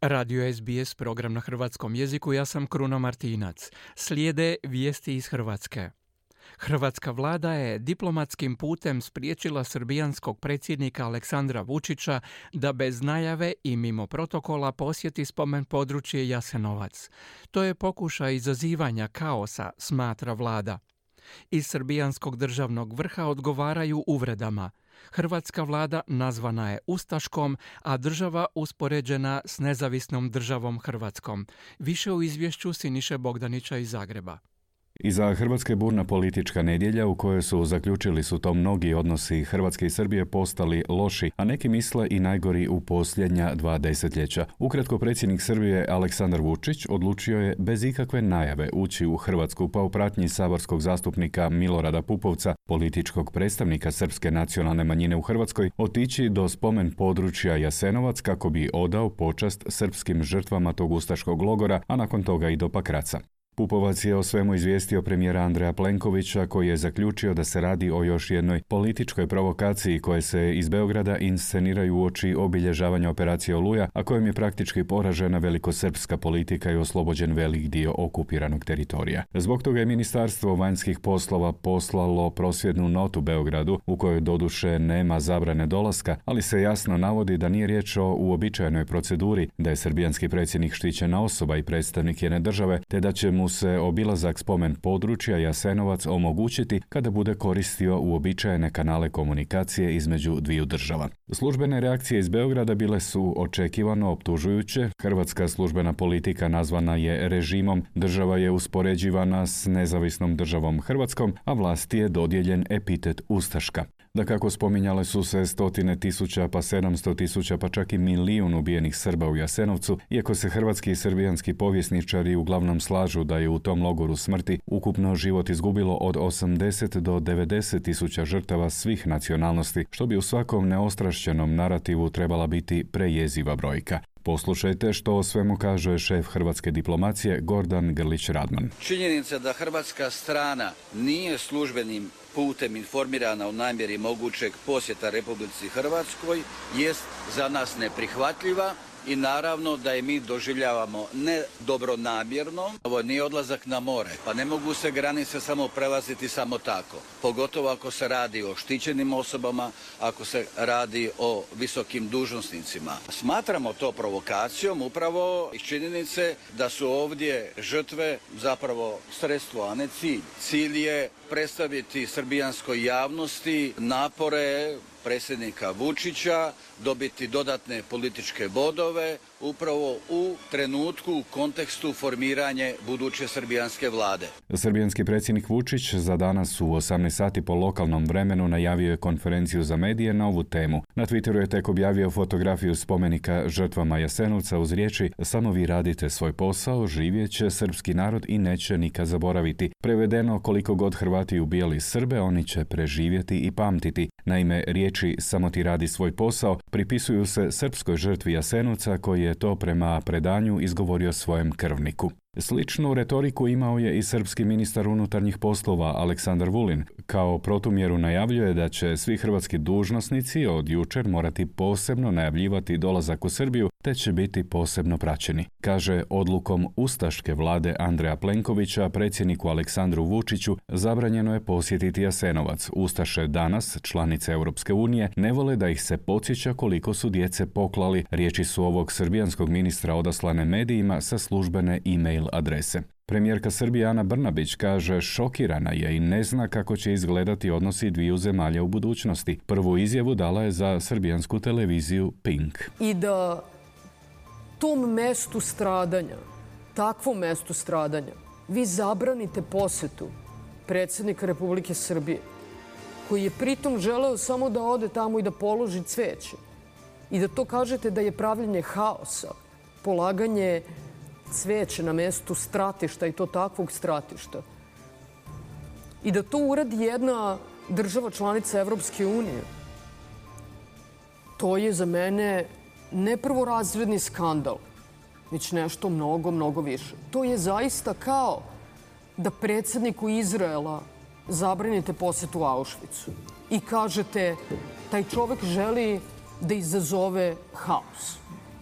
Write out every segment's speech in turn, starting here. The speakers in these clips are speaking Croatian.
Radio SBS, program na hrvatskom jeziku, ja sam Kruno Martinac. Slijede vijesti iz Hrvatske. Hrvatska vlada je diplomatskim putem spriječila srbijanskog predsjednika Aleksandra Vučića da bez najave i mimo protokola posjeti spomen područje Jasenovac. To je pokušaj izazivanja kaosa, smatra vlada. Iz srbijanskog državnog vrha odgovaraju uvredama. Hrvatska vlada nazvana je ustaškom, a država uspoređena s nezavisnom državom Hrvatskom. Više u izvješću Siniše Bogdanića iz Zagreba. Iza Hrvatske burna politička nedjelja u kojoj zaključili su to mnogi odnosi Hrvatske i Srbije postali loši, a neki misle i najgori u posljednja 2 desetljeća. Ukratko, predsjednik Srbije Aleksandar Vučić odlučio je bez ikakve najave ući u Hrvatsku, pa u pratnji saborskog zastupnika Milorada Pupovca, političkog predstavnika srpske nacionalne manjine u Hrvatskoj, otići do spomen područja Jasenovac kako bi odao počast srpskim žrtvama tog ustaškog logora, a nakon toga i do Pakraca. Pupovac je o svemu izvijestio premijera Andreja Plenkovića, koji je zaključio da se radi o još jednoj političkoj provokaciji koje se iz Beograda insceniraju uoči obilježavanja operacije Oluja, a kojom je praktički poražena velikosrpska politika i oslobođen velik dio okupiranog teritorija. Zbog toga je Ministarstvo vanjskih poslova poslalo prosvjednu notu Beogradu, u kojoj doduše nema zabrane dolaska, ali se jasno navodi da nije riječ o uobičajenoj proceduri, da je srbijanski predsjednik štićena osoba i predstavnik jedne države, te da će mu se obilazak spomen područja Jasenovac omogućiti kada bude koristio uobičajene kanale komunikacije između dviju država. Službene reakcije iz Beograda bile su očekivano optužujuće. Hrvatska službena politika nazvana je režimom, država je uspoređivana s nezavisnom državom Hrvatskom, a vlasti je dodijeljen epitet ustaška. Dakako, spominjale su se 100.000 pa 700.000 pa čak i 1 milijun ubijenih Srba u Jasenovcu, iako se hrvatski i srbijanski povjesničari uglavnom slažu da je u tom logoru smrti ukupno život izgubilo od 80 do 90.000 žrtava svih nacionalnosti, što bi u svakom neostrašćenom narativu trebala biti prejeziva brojka. Poslušajte što o svemu kaže šef hrvatske diplomacije Gordan Grlić-Radman. Činjenica da hrvatska strana nije službenim putem informirana o namjeri mogućeg posjeta Republici Hrvatskoj jest za nas neprihvatljiva i naravno da je mi doživljavamo ne dobronamjerno. Ovo nije odlazak na more, pa ne mogu se granice samo prelaziti samo tako. Pogotovo ako se radi o štićenim osobama, ako se radi o visokim dužnosnicima. Smatramo to provokacijom upravo iz činjenice da su ovdje žrtve zapravo sredstvo, a ne cilj. Cilj je predstaviti srbijanskoj javnosti napore predsjednika Vučića, dobiti dodatne političke bodove upravo u trenutku, u kontekstu formiranje buduće srbijanske vlade. Srbijanski predsjednik Vučić za danas u 18 sati po lokalnom vremenu najavio je konferenciju za medije na ovu temu. Na Twitteru je tek objavio fotografiju spomenika žrtvama Jasenovca uz riječi: "Samo vi radite svoj posao, živjet će srpski narod i neće nikad zaboraviti." Prevedeno, koliko god Hrvati ubijali Srbe, oni će preživjeti i pamtiti. Naime, riječi "samo ti radi svoj posao" pripisuju se srpskoj žrtvi Jasenovca, koji je to prema predanju izgovorio svojem krvniku. Sličnu retoriku imao je i srpski ministar unutarnjih poslova Aleksandar Vulin. Kao protumjeru najavljuje da će svi hrvatski dužnosnici od jučer morati posebno najavljivati dolazak u Srbiju, te će biti posebno praćeni. Kaže, odlukom ustaške vlade Andreja Plenkovića predsjedniku Aleksandru Vučiću zabranjeno je posjetiti Jasenovac. Ustaše danas, članice Europske unije, ne vole da ih se podsjeća koliko su djece poklali. Riječi su ovog srbijanskog ministra odaslane medijima sa službene e-mail adrese. Premijerka Srbije Ana Brnabić kaže šokirana je i ne zna kako će izgledati odnosi dviju zemalja u budućnosti. Prvu izjavu dala je za srbijansku televiziju Pink. I da tom mestu stradanja, takvom mestu stradanja, vi zabranite posetu predsjednika Republike Srbije, koji je pritom želeo samo da ode tamo i da položi cveće. I da to kažete da je pravljenje haosa, polaganje cveće na mestu stratišta i to takvog stratišta. I da to uradi jedna država članica Evropske unije. To je za mene ne prvorazredni skandal, već nešto mnogo, mnogo više. To je zaista kao da predsjedniku Izraela zabranite posetu Auschwitzu i kažete taj čovek želi da izazove haos.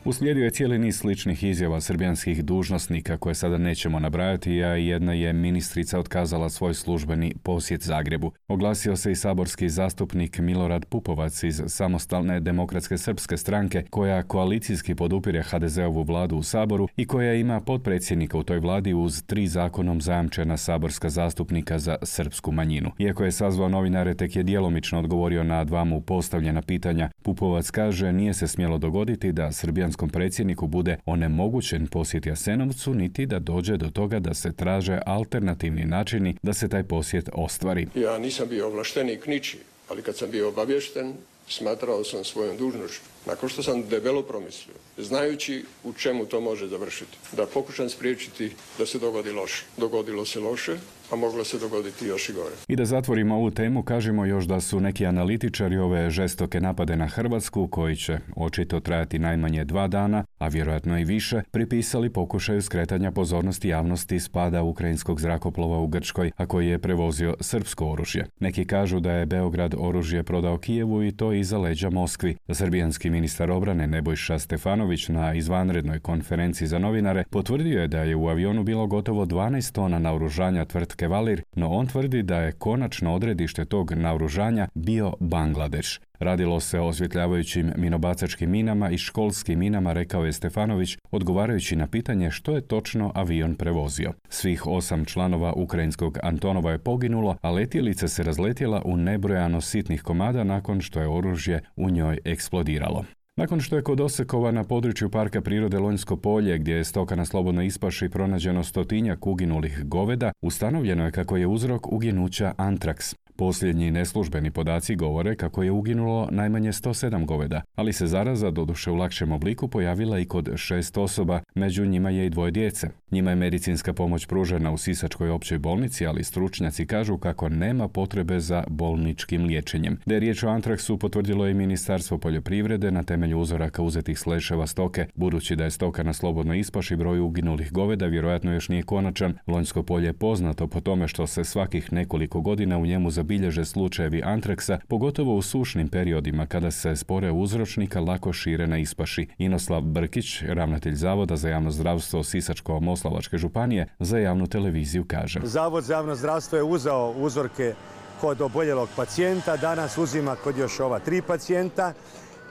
Uslijedio je cijeli niz sličnih izjava srbijanskih dužnosnika koje sada nećemo nabrajati, a jedna je ministrica otkazala svoj službeni posjet Zagrebu. Oglasio se i saborski zastupnik Milorad Pupovac iz Samostalne demokratske srpske stranke, koja koalicijski podupire HDZ-ovu vladu u Saboru i koja ima potpredsjednika u toj vladi uz 3 zakonom zajamčena saborska zastupnika za srpsku manjinu. Iako je sazvao novinare, tek je djelomično odgovorio na 2 mu postavljena pitanja. Pupovac kaže nije se smjelo dogoditi da srbijanskom predsjedniku bude onemogućen posjet Jasenovcu, niti da dođe do toga da se traže alternativni načini da se taj posjet ostvari. Ja nisam bio ovlaštenik ničiji, ali kad sam bio obavješten, smatrao sam svojom dužnošću, nakon što sam debelo promislio, znajući u čemu to može završiti, da pokušam spriječiti da se dogodi loše. Dogodilo se loše, a moglo se dogoditi još i gore. I da zatvorimo ovu temu, kažemo još da su neki analitičari ove žestoke napade na Hrvatsku, koji će očito trajati najmanje 2 dana, a vjerojatno i više, pripisali pokušaju skretanja pozornosti javnosti spada ukrajinskog zrakoplova u Grčkoj, a koji je prevozio srpsko oružje. Neki kažu da je Beograd oružje prodao Kijevu i to iza leđa Moskvi. Srbijanski ministar obrane Nebojša Stefanović na izvanrednoj konferenciji za novinare potvrdio je da je u avionu bilo gotovo 12 tona naoružanja tvrtke Valir, no on tvrdi da je konačno odredište tog naoružanja bio Bangladeš. Radilo se o osvjetljavajućim minobacačkim minama i školskim minama, rekao je Stefanović, odgovarajući na pitanje što je točno avion prevozio. Svih 8 članova ukrajinskog Antonova je poginulo, a letjelica se razletjela u nebrojano sitnih komada nakon što je oružje u njoj eksplodiralo. Nakon što je kod Osekova na području Parka prirode Lonjsko polje, gdje je stoka na slobodnoj ispaši pronađeno 100-tinjak uginulih goveda, ustanovljeno je kako je uzrok uginuća antraks. Posljednji neslužbeni podaci govore kako je uginulo najmanje 107 goveda, ali se zaraza, doduše u lakšem obliku, pojavila i kod 6 osoba, među njima je i 2 djece. Njima je medicinska pomoć pružena u Sisačkoj općoj bolnici, ali stručnjaci kažu kako nema potrebe za bolničkim liječenjem. Da je riječ o antraksu potvrdilo je i Ministarstvo poljoprivrede na temelju uzoraka uzetih s leševa stoke. Budući da je stoka na slobodnoj ispaši, broj uginulih goveda vjerojatno još nije konačan. Lonjsko polje je poznato po tome što se svakih nekoliko godina u njemu zabilježe slučajevi antraksa, pogotovo u sušnim periodima kada se spore uzročnika lako šire na ispaši. Inoslav Brkić, ravnatelj Zavoda za javno zdravstvo Sisačko-moslavačke županije, za javnu televiziju kaže: Zavod za javno zdravstvo je uzeo uzorke kod oboljelog pacijenta, danas uzima kod još ova 3 pacijenta.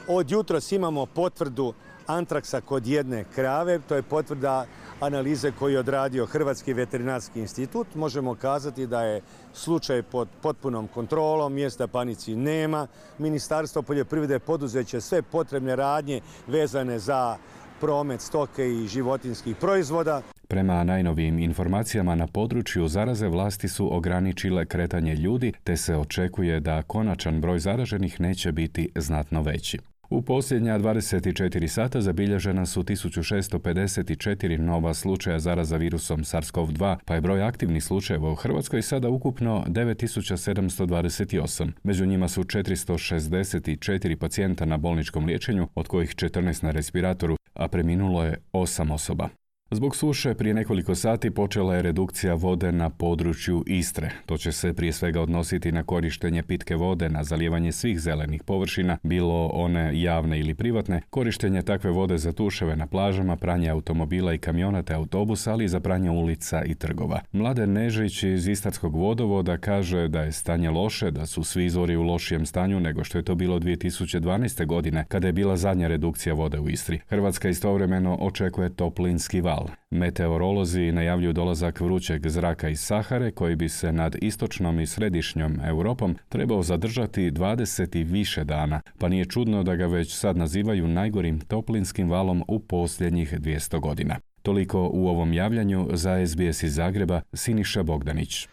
Od jutros imamo potvrdu antraksa kod 1 krave, to je potvrda analize koju je odradio Hrvatski veterinarski institut. Možemo kazati da je slučaj pod potpunom kontrolom, mjesta panici nema. Ministarstvo poljoprivrede poduzeće sve potrebne radnje vezane za promet stoke i životinjskih proizvoda. Prema najnovijim informacijama na području zaraze, vlasti su ograničile kretanje ljudi, te se očekuje da konačan broj zaraženih neće biti znatno veći. U posljednja 24 sata zabilježena su 1654 nova slučaja zaraza virusom SARS-CoV-2, pa je broj aktivnih slučajeva u Hrvatskoj sada ukupno 9728. Među njima su 464 pacijenta na bolničkom liječenju, od kojih 14 na respiratoru, a preminulo je 8 osoba. Zbog suše prije nekoliko sati počela je redukcija vode na području Istre. To će se prije svega odnositi na korištenje pitke vode, na zalijevanje svih zelenih površina, bilo one javne ili privatne, korištenje takve vode za tuševe na plažama, pranje automobila i kamiona te autobusa, ali i za pranje ulica i trgova. Mladen Nežić iz Istarskog vodovoda kaže da je stanje loše, da su svi izvori u lošijem stanju nego što je to bilo 2012. godine, kada je bila zadnja redukcija vode u Istri. Hrvatska istovremeno očekuje toplinski val. Meteorolozi najavljuju dolazak vrućeg zraka iz Sahare, koji bi se nad istočnom i središnjom Europom trebao zadržati 20 i više dana, pa nije čudno da ga već sad nazivaju najgorim toplinskim valom u posljednjih 200 godina. Toliko u ovom javljanju. Za SBS iz Zagreba, Siniša Bogdanić.